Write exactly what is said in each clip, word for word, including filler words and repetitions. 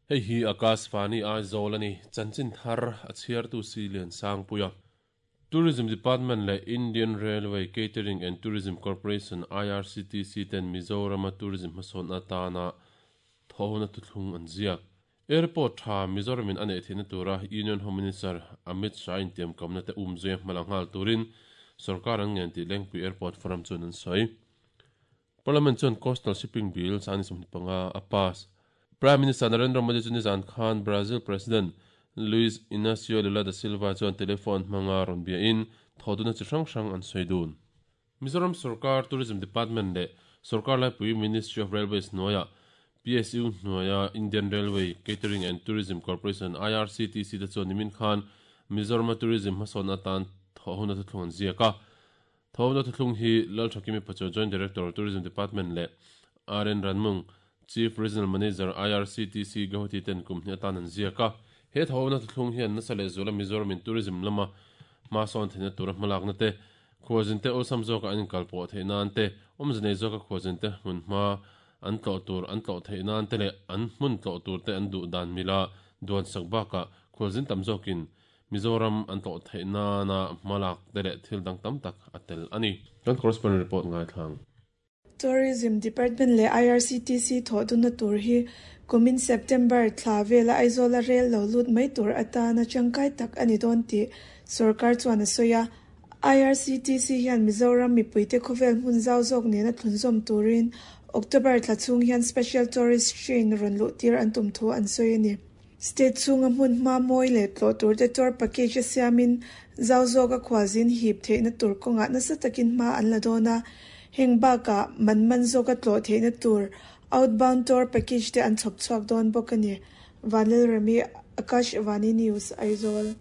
Hei hi Akashvani Aizawl a ni. Chanchin thar a chhiartu si Lian Sangpuia. Tourism Department leh Indian Railway Catering and Tourism Corporation I R C T C ten Mizorama tourism hmasawn atana thawhna thuthlung an ziak. Airport tha Mizoramin a neih theihna tura Union Home Minister Amit Shah in tiam kamna te umzui hmala nghal turin sarkar an ngen tih Lengpui Airport Forum chuan an sawi. Parliament chuan Coastal Shipping Bill sangni sawmhnih panga a pass. Prime Minister Narendra Modi chu nizan khan Brazil President Luiz Inacio Lula da Silva chuan telephone hmanga rawn bia in thoduna chi hrang hrang an sawi dun. Mizoram Sarkar Tourism Department leh Sarkar Laipui Ministry of Railways hnuaia P S U hnuaia Indian Railway Catering and Tourism Corporation I R C T C te chuan nimin khan Mizoram Tourism hmasawn atan thawhuna thuthlung an ziak a. Thawhuna thuthlung hi Lalthakimi Pachuau, Joint Director, Tourism Department leh R N Ranmung, Chief Regional Manager, I R C T C Guwahati ten kum hnih atan an ziak a. He thawhuna thuthlung hian nasa leh zuala Mizoram in tourism lama hmasawn theihna tura hmalakna te, khualzin te awlsam zawka an inkalpawh theih nan te, awmze nei zawka khualzin te hmun hma an tlawh tur an tlawh theih nan te leh an hmun tlawh tur te an duh dan mila duan sak bakah khualzin tam zawkin Mizoram an tlawh theih nana hmalak te leh thil dang tam tak a tel ani. Kan correspondent report ngai thlang. Tourism Department leh I R C T C thawhduna tur hi kumin September thla vela Aizawl a rel lo lut mai tur atana tangkai tak ani dawn tih sarkar chuan a sawi a. I R C T C hian Mizoram mipuite khawvel hmun zau zawk nena thlunzawm turin October thla chhung hian Special Tourist Train rawn luh tir an tum thu an sawi ani. State chhunga hmun hma mawi leh tlawh tur te tour package a siamin zau zawk a khualzin hip theihna tur kawngah nasa takin hma an la dawn a. Heng bakah man man zawk a tlawh theihna tur outbound tour package te an chhawp chhuak dawn bawk ani. Vanlal Rami, Akashvani News, Aizawl.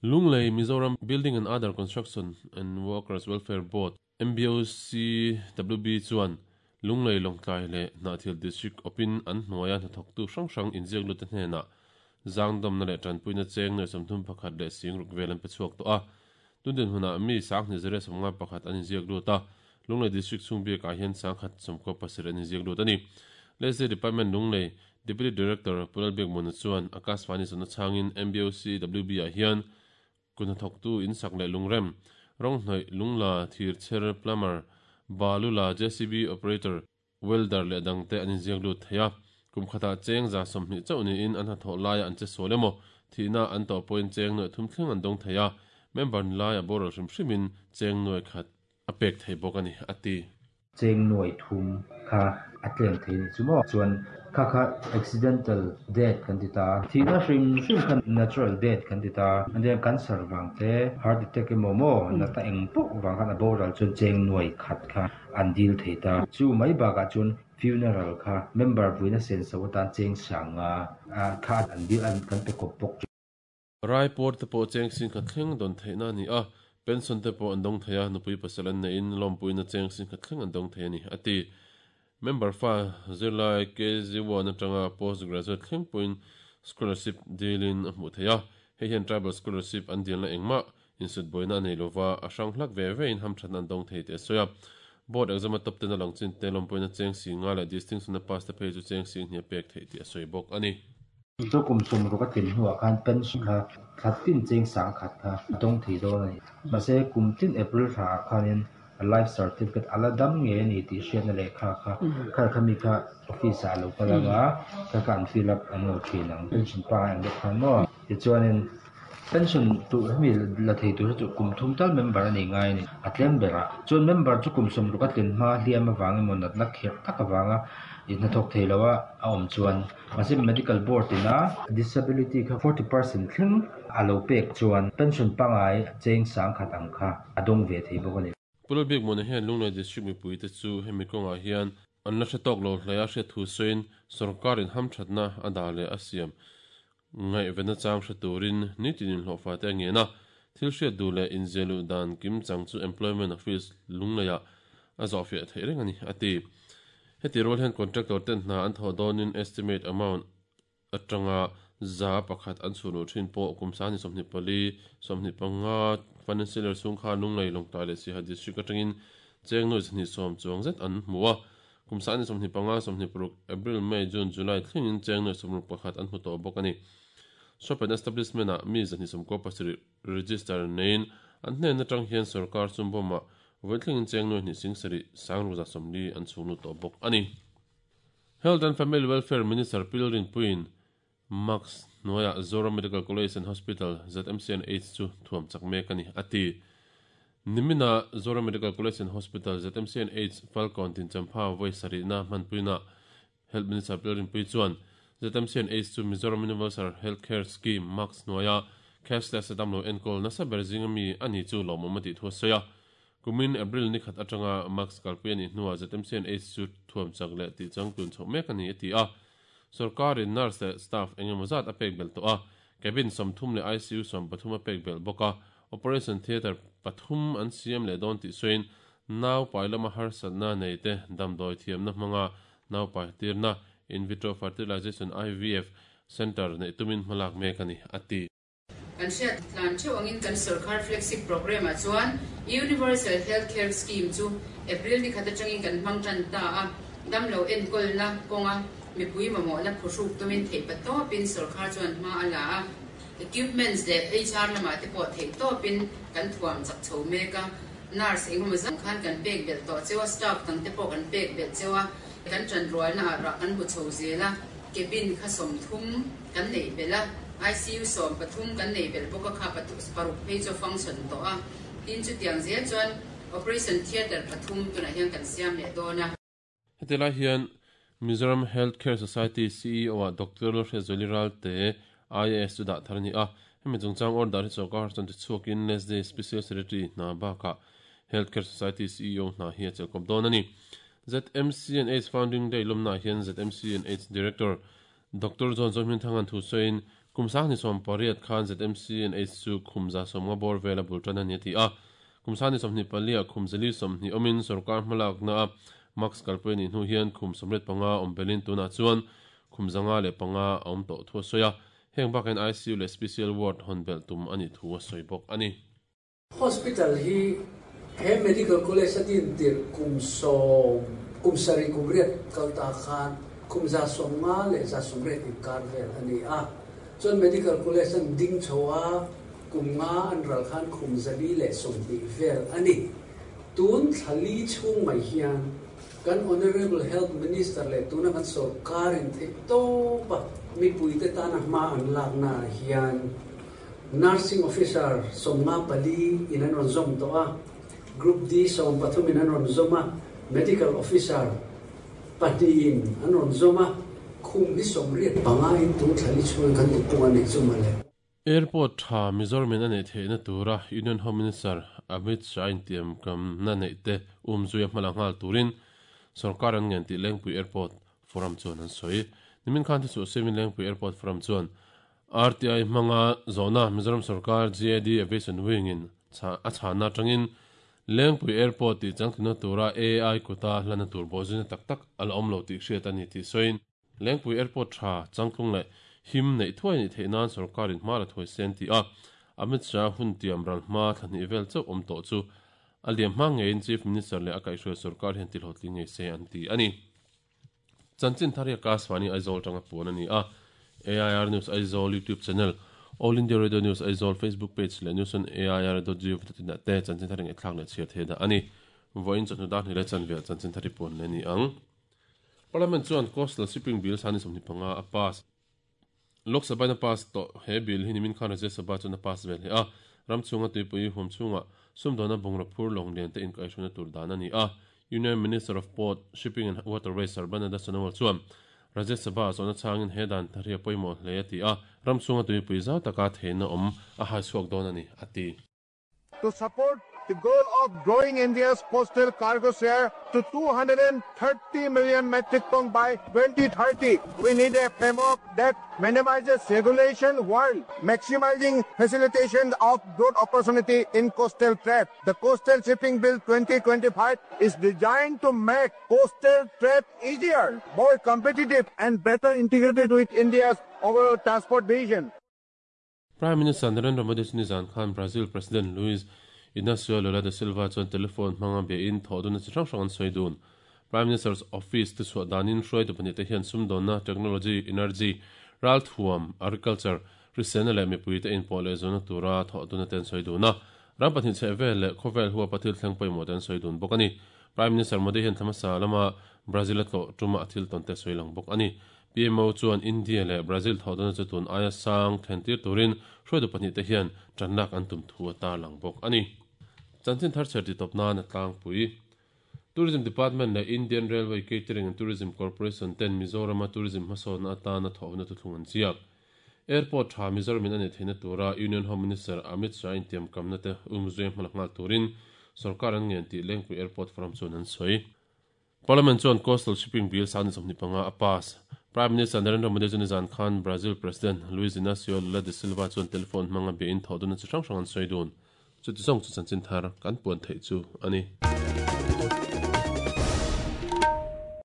Lunglei Mizoram Building and Other Construction and Workers Welfare Board M B O C W B chuan Lunglei, Lawngtlai leh Hnahthial District awpin an hnuaia hnathawktu hrang hrang inziak lut te hnenah zangdawmna leh tanpuina cheng nuai sawmthum pakhat leh sing ruk vel an pe chhuak tawh a. Tundin hunah mi sanghnih zariat sawmnga pakhat an inziak lut a. Lunglei District chhung biakah hian sangkhat sawmkua pasarih an inziak lut ani. Lese Department Lunglei Deputy Director Pulal Biakmuna chuan Akashvani zawhna chhangin M B O C W B ah hian kun hnathawktu in sak leh lungrem, rawng hnawih, lungla, thir chher, plumber, balu la, J C B operator, welder leh dangte an inziak lut thei a. Kum khatah cheng za sawmhnih chauh niin an hnathawh laia an che sual emaw thihna an tawh pawhin cheng nuai thum thleng an dawng thei a. Member ni laia boral hrim hrimin cheng nuai khat a pek thei bawk ani, a ti. Cheng nuai thum kha a tlem thei ni chu maw chuan kha kha accidental death kan ti ta, thihna hrim hrim kha natural death kan ti ta. And then cancer wang te, heart attack emaw maw nata eng pawh wang khan a boral chuan cheng nuai khat kha an dil thei ta. Chu mai bakah chuan funeral kha member vuina sen so atan cheng sanga kha an dil an kan pe kawp bawk. Raiport te pawh cheng sing khat thleng dawn theihna ani a. Pension te pawh an dawng thei a, nupui pasal an neiin lawmpuina cheng sing khat thleng an dawng thei ani, a ti. Member fa zirlai K G one atanga postgraduate thleng pawhin scholarship dealin a hmuh thei a. Hei hian tribal scholarship an dilna engmah insut boina a nei lova, a hrang hlak ve ve in hamthatna an dawng thei tih a sawi a. Board exam a top ten a lang chin te lawmpuina cheng si nga leh distinction a pass te phei chu cheng sing hnih a pek theih tih a sawi bawk ani. Chu kum sawm ruk a tlin hnuah khan pension kha thla tin cheng sang khat kha a dawng thei dawn a ni. Mahse kum tin April thla ah khanin life certificate ala dam nge ani tih hriatna lehkha kha kha khami kha office ah alo kal anga, kha kha an fill up an lo thin ang, pension pa ang deuh khan maw. Tichuanin pension tur hemi la thei tur hi chu kum thum tal member ani ngai ani a tlem berah. Chuan member chu kum sawm ruk a tlin hma hliam avang emaw natna kherh tak avanga hnathawk thei lo a a awm chuan, mahse medical board ina disability kha forty percent thleng a lo pek chuan pension pangai cheng sang khat ang kha a dawng ve thei bawk ani. Pulal Biakmuna hian Lunglei District mipuite chu hemi kawngah hian an la hre tawk lo hlei a hriat thu sawiin sarkarin hamthatna a dah leh a siam ngaihvena chang hre turin nitinin hlawhfa te a ngen a. Thil hriat duh leh inziahluh dan kim chang chu Employment Office Lungleiah a zawh fiah theih reng ani, a ti. Heti rual hian contractor ten hna an thawh dawnin estimate amount atanga za pakhat an chhunu thin pawh kum sangni sawmhnih pali sawmhnih panga financial year chhung khan Lunglei, Lawngtlai leh Siaha District atangin cheng nuai zahnih sawm chuang zet an hmu a. Kum sa ni somni panga somni pruk April May June July thlengin cheng noi somruk pakhat an hmu tawh bawk ani. Shop and establishment a mi zahni sawmkaw pasarih register nein an hnen atang hian sarkar chumbawma vawi thlengin cheng noi hnih sing sarih sang ruza sawmli an chhunglu tawh bawk ani. Health and Family Welfare Minister Pilrin Puin Max Noya Zoram Medical College and Hospital Z M C N H chu thuam chak mek ani ati. Nimina Zoram Medical College and Hospital Z M C N H Falcon tin champha voi sarina manpuina Health Minister Pilrin Pui chuan Z M C N H chu Mizoram Universal Healthcare Scheme Max Noya cashless damlo enkol nasa berzinga mi ani chu lomomati thu soya. Kumin April ni khat atanga Max kalpui ani hnuah Z M C N H chu thuam chak leh tih changtlun chhoh mek ani a ti a. Sarkarin nurse leh staff engemaw zat a pek bel tawh a. Cabin sawmthum leh I C U sawm pathum a pek bel bawk a. Operation Theatre pathum an siam leh dawn tih sawiin nau pai lama harsatna nei te damdawi thiamna hmanga nau pai tirna in vitro fertilization I V F center nei tumin hmalak mek ani a ti. Kan hriat tlan theuh angin kan sarkar flagship program a chuan Universal Healthcare Scheme chu April ni khat atangin kan hmang tan ta a damlo enkol na kawnga mipui mamawh na phuhruk tumin theih patawpin sarkar chuan hma a la a equipments leh H R lamah te pawh theih tawpin kan thuam chak chho mek a nurse engemaw zan khan kan pek bel tawh chewa staff dang te pawh kan pek bel chewa kan tanrual na ah rah kan hmu chho zel a cabin kha sawmthum kan nei bel a I C U sawm pathum kan nei bel bawk a kha paruk phei chu function tawh a tin chu tiang zel chuan operation theatre pathum tunah hian kan siam leh dawn a. Heti lai hian Mizoram Healthcare Society C E O a Doctor Hrezoli te I A S chu dah thar ani a. Hemi chungchang order hi sawrkar chuan ti chhuakin Nestle Special Secretary hna bakah Healthcare Society C E O hna hi a chelkawp dawn ani. Z M C N H Founding Day lawmna hian Z M C N H Director Doctor John Zohmin Thangan thu sawiin kumsang ni sawm pariat khan Z M C N H chu khumza sawmnga bawr vela bul tan ani ti a. Kumsang ni sawmhnih palia khumzali sawmhnih awmin sawrkar hmalak na a Max kalpui ni hnu hian khum sawmriat panga awm belin tunah chuan khumzanga leh panga a awm tawh thu a sawi a. Heng bakin I C U leh Special Ward hawn bel tum ani thu a sawi bawk ani. Hospital hi he medical college atin tir kum sawm kum sarih kum riat kalta khan khumza sawmnga leh za sawmriat inkar vel ani a. Chuan medical college an ding chhoa kum nga an ral khan khumzali leh sawmhnih vel ani. Tun thlali chhung mai hian kan Honorable Health Minister leh tuna kan sarkarin theih tawpa mipui te tana hma an lakna hian nursing officer sawmnga pali in an rawn zawm tawh a. Group D sawm pathum in an rawn zawm a. Medical officer pahnih in an rawn zawm a. Khum hi sawmriat panga in tun thlali chhung kan ti pung ani chu male. Airport tha Mizoram in anei theihna tura Union Home Minister Amit Shah in tiam kam na nei te umzuia hmala nghal turin sarkar an ngen tih Lengpui Airport Forum chuan an sawi. Nimin khan te chu semin Lengpui Airport Forum chuan R T I hmanga zawna Mizoram sarkar G A D Aviation Wing in a chhana tangin Lengpui Airport tih changtluna tura A I kuta hlana tur bawhzuna tak tak a la awm lo tih hriat ani tih sawiin Lengpui Airport tha changtlung leh him nei thuai ni theih nan sarkarin hma la thuai sen ti a. Amit Shah hun tiam ral hma thlahnih vel chauh awm tawh chu a liam hma ngeiin Chief Minister leh a kaihhruai sarkar hian ti hlawhtling ngei se an ti ani. Chanchin thar hi Akashvani Aizawl tanga puan ani a. A I R News Aizawl YouTube channel, All India Radio News Aizawl Facebook page leh news on A I R dot gov dot in ah te chanchin thar ngei thlak leh chhiar thei dah ani. Vawiin chawhnu dar hnih leh chanvel chanchin thar hi puan leh ni ang. Parliament chuan Coastal Shipping Bill sani sawmhnih panga a pass. Lok Sabha na pass tawh he bill hi nimin khan Rajya Sabha chuan a pass vel he a. Ramchhunga tuipui huam chhunga sumdawna bungraw phur lawng lian te inkaihhruna tur dan ani a. Union Minister of Port, Shipping and Waterways Sarbananda Sonowal chuan Rajya Sabha zawna changin he dan thar hi a pawimawh hle a ti a. Ramchhunga tuipui zau taka theihna awm a hai chhuak dawn ani a ti. To support the goal of growing India's coastal cargo share to two hundred thirty million metric tons by twenty thirty, we need a framework that minimizes regulation while maximizing facilitation of growth opportunity in coastal trade. The Coastal Shipping Bill twenty twenty-five is designed to make coastal trade easier, more competitive and better integrated with India's overall transport vision. Prime Minister Narendra Modi nizan khan Brazil President Luiz Inacio Lula da Silva chuan telephone hmanga be in thaw dun chi hrang hrang an sawi dun. Prime Minister's Office te chuah danin hruaitu pahnih te hian sumdawnna, technology, energy, ralthuam, agriculture, hriselna leh mipui te inpawh leh zawhna tura thawh duna te an sawi dun a. Ram pahnih chheh vel leh khawvel hua pathil thleng pawimawh te an sawi dun bawk a ni. Prime Minister Modi hian thlamasa lama Brazil a tlawh tuma a thil tawn te sawi lang bawk a ni. P M O chuan India leh Brazil thawh duna chu tun aia sang thlentir turin hruaitu pahnih te hian tanlak an tum thu a tar lang bawk a ni. Chanchin thar chher ti tawp nan a tlangpui. Tourism Department leh Indian Railway Catering and Tourism Corporation ten Mizorama Tourism hmasawnna atana thawhna thuthlung an ziak. Airport tha Mizoramin a nei theihna tura Union Home Minister Amit Shah in tiam kamna te umzui hmalak nghal turin sarkar an ngen tih Lengpui Airport Forum chuan an sawi. Parliament chuan Coastal Shipping Bill sang ni sawmhnih panga a pass. Prime Minister Narendra Modi chu nizan khan Brazil President Luiz Inacio Lula da Silva chuan telephone hmanga bia in thawh duna chi hrang hrang an sawi dun. Chuti zawng chu chanchin thar kan puan theih chu a ni.